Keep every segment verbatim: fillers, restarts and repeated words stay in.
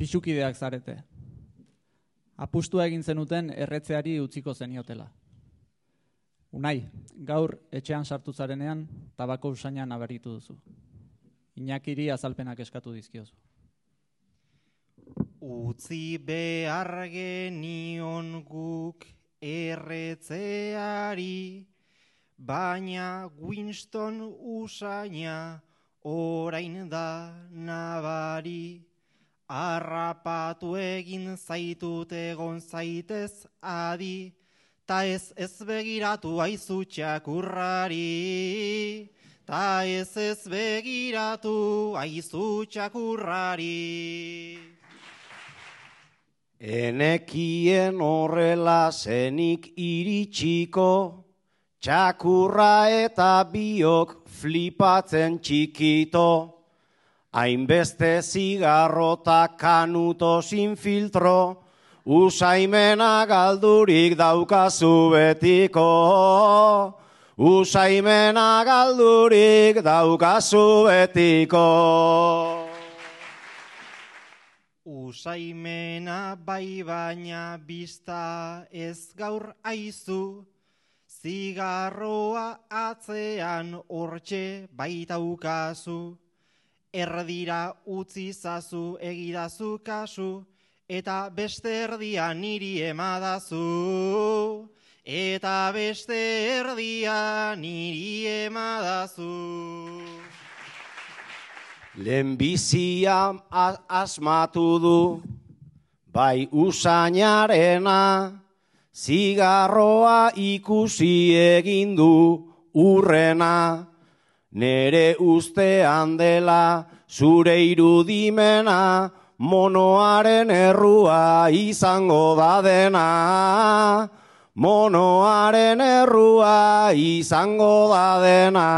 pixukideak zarete. Apustua egin zenuten erretzeari utziko zeniotela. Unai, gaur etxean sartu zarenean, tabako usaina nabaritu duzu. Iñakiri azalpenak eskatu dizkiozu. Utzi behar genion guk erretzeari, baina Winston usaina orain da nabari. Arrapatu egin zaitut egon zaitez adi, ta ez ez begiratu aizu txakurrari, ta ez ez begiratu aizu txakurrari. Enekien horrela zenik iritsiko, txakurra eta biok flipatzen txikito, hainbeste zigarrota kanuto sin filtro, usaimena galdurik daukazu betiko, usaimena galdurik daukazu betiko. Usaimena bai baina bista ez gaur aizu, zigarroa atzean hortxe baitaukazu. Erdira utzi zazu egidazu kasu, eta beste erdia niri emadazu, eta beste erdia niri emadazu. Lehenbizia asmatu du, bai usainarena, zigarroa ikusi egin du urrena, nere ustean dela zure irudimena, monoaren errua izango da dena, monoaren errua izango da dena.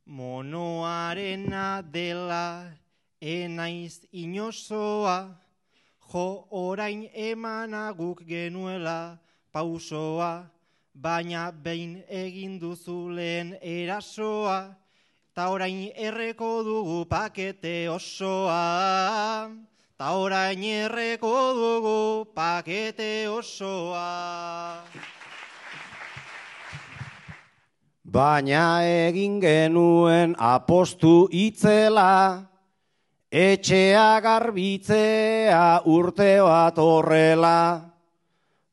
Monoarena dela enaiz inozoa, jo orain emanaguk genuela pausoa, baina behin egin duzu lehen erasoa, ta orain erreko dugu pakete osoa, ta orain erreko dugu pakete osoa. Baina egin genuen apostu itzela, etxea garbitzea urte bat horrela,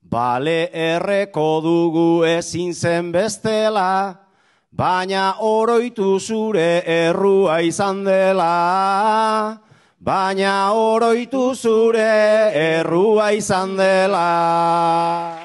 bale erreko dugu ezin zen bestela, baina oroitu zure errua izan dela, baina oroitu zure errua izan dela.